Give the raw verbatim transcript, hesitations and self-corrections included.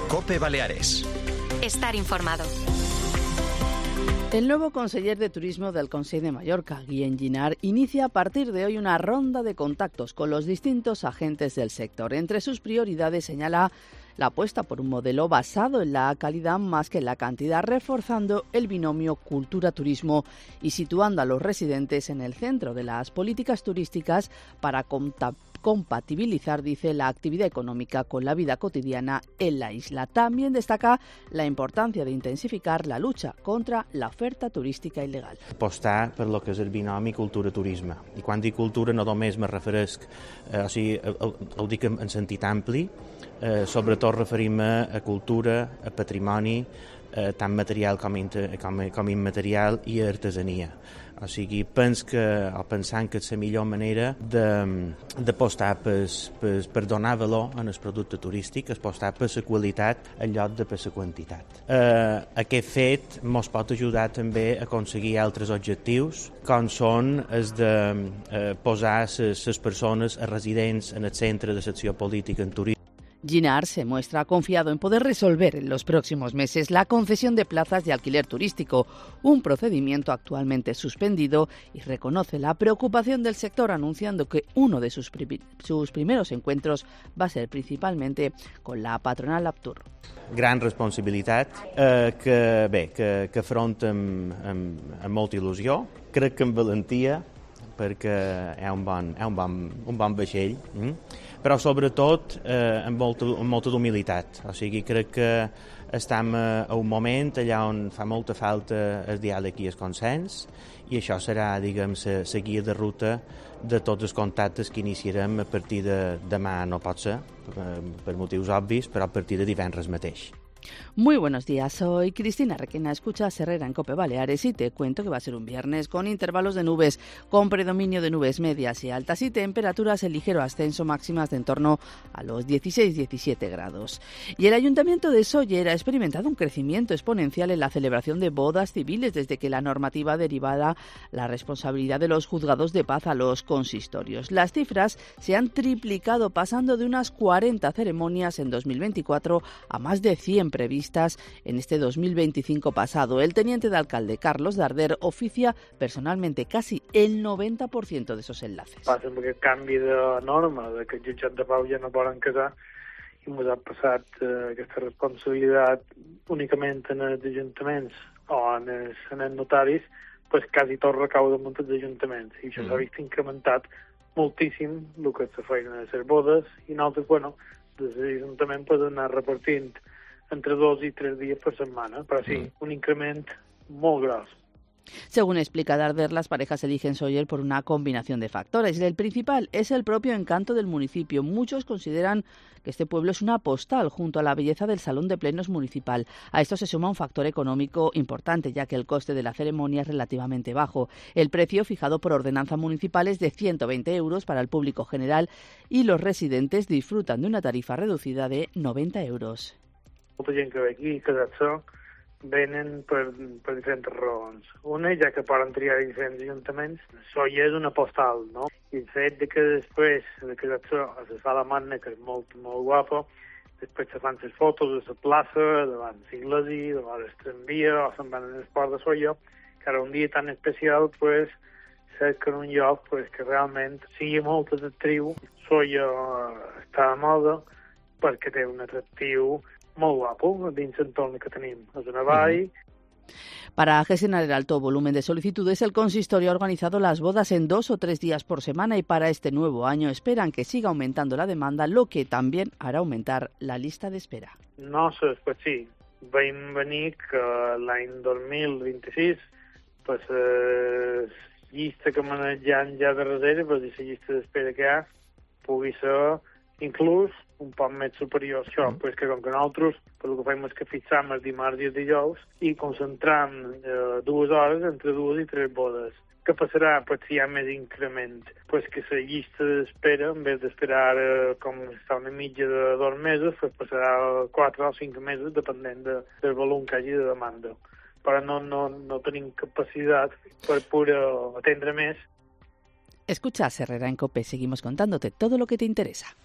COPE Baleares. Estar informado. El nuevo conseller de Turismo del Consell de Mallorca, Guillem Ginard, inicia a partir de hoy una ronda de contactos con los distintos agentes del sector. Entre sus prioridades señala la apuesta por un modelo basado en la calidad más que en la cantidad, reforzando el binomio cultura-turismo y situando a los residentes en el centro de las políticas turísticas para contar compatibilizar, dice, la actividad económica con la vida cotidiana en la isla. También destaca la importancia de intensificar la lucha contra la oferta turística il·legal. Apostar per lo que és el binomi cultura-turisme. I quan dic cultura no només me referesc, eh, o sigui, ho, ho dic en, en sentit ampli, eh, sobretot referim-me a cultura, a patrimoni, eh, tant material com, inter, com, com immaterial, i a artesania. O sigui, pens que, o pensant que és la millor manera d'apostar per, per, per donar valor en el producte turístic, apostar per la qualitat en lloc de per la quantitat. Eh, aquest fet ens pot ajudar també a aconseguir altres objectius, com són els de eh, posar les persones residents en el centre de l'acció política en turisme. Ginard se muestra confiado en poder resolver en los próximos meses la concesión de plazas de alquiler turístico, un procedimiento actualmente suspendido, y reconoce la preocupación del sector, anunciando que uno de sus, pri- sus primeros encuentros va a ser principalmente con la patronal Aptur. Gran responsabilitat eh, que, bé, que, que afronta amb, amb, amb molta il·lusió, crec que amb valentia, perquè és un bon, és un bon, un bon vaixell, mm? però sobretot eh, amb, molta, amb molta humilitat. O sigui, crec que estem a un moment allà on fa molta falta el diàleg i el consens, i això serà, diguem, la guia de ruta de tots els contactes que iniciarem a partir de demà. No pot ser, per motius obvis, però a partir de divendres mateix. Muy buenos días, soy Cristina Requena, escuchas Herrera en COPE Baleares y te cuento que va a ser un viernes con intervalos de nubes, con predominio de nubes medias y altas y temperaturas en ligero ascenso, máximas de en torno a los dieciséis diecisiete grados. Y el Ayuntamiento de Sóller ha experimentado un crecimiento exponencial en la celebración de bodas civiles desde que la normativa derivada la responsabilidad de los juzgados de paz a los consistorios. Las cifras se han triplicado, pasando de unas cuarenta ceremonias en dos mil veinticuatro a más de cien previstas en este dos mil veinticinco pasado. El teniente de alcalde, Carlos Darder, oficia personalmente casi el noventa por ciento de esos enlaces. Passa amb aquest canvi de norma, de que els jutjats de pau ja no poden casar, i ens ha passat eh, aquesta responsabilitat únicament en els ajuntaments o en els, en els notaris, pues quasi tot recau damunt dels ajuntaments. I això mm. s'ha vist incrementat moltíssim el que és la feina de les bodes, i nosaltres, bueno, des de l'Ajuntament podem anar repartint entre dos y tres días por semana, pero sí, mm. un increment muy gros. Según explica Darder, las parejas eligen Sóller por una combinación de factores. El principal es el propio encanto del municipio. Muchos consideran que este pueblo es una postal junto a la belleza del Salón de Plenos municipal. A esto se suma un factor económico importante, ya que el coste de la ceremonia es relativamente bajo. El precio fijado por ordenanza municipal es de ciento veinte euros para el público general y los residentes disfrutan de una tarifa reducida de noventa euros. Molta gent que ve aquí a casar-se venen per, per diferents raons. Una, ja que poden triar diferents ajuntaments, això ja és una postal, no? I el fet de que després de casar-se se fa la manna, que és molt, molt guapa, després se fan les fotos de la plaça, davant l'església, davant el tramvia, o se'n van en el port de Sóller, que ara un dia tan especial, pues, cerquen un lloc pues, que realment sigui molt atractiu. Sóller està de moda perquè té un atractiu muy guapo dins l'entorn que tenim. És una vall. Para gestionar el alto volumen de solicitudes, el consistorio ha organizado las bodas en dos o tres días por semana, y para este nuevo año esperan que siga aumentando la demanda, lo que también hará aumentar la lista de espera. No sé, pues sí, vam venir que l'any dos mil vint-i-sis pues, eh, llista que manejant ja de reserva, pues, i la llista d'espera que hi ha pugui ser inclús un poc més superior a això, mm. pues que com que nosaltres el que fem és que fixam els dimarts i els dijous i concentram eh, dues hores entre dues i tres bodes. Què passarà pues, si hi ha més increment? Pues que la llista d'espera, en vez d'esperar eh, com està una mitja de dos mesos, pues passarà quatre o cinc mesos, depenent de, del volum que hagi de demanda. Però no, no, no tenim capacitat per poder atendre més. Escuchas Herrera en COPE, seguimos contándote todo lo que te interesa.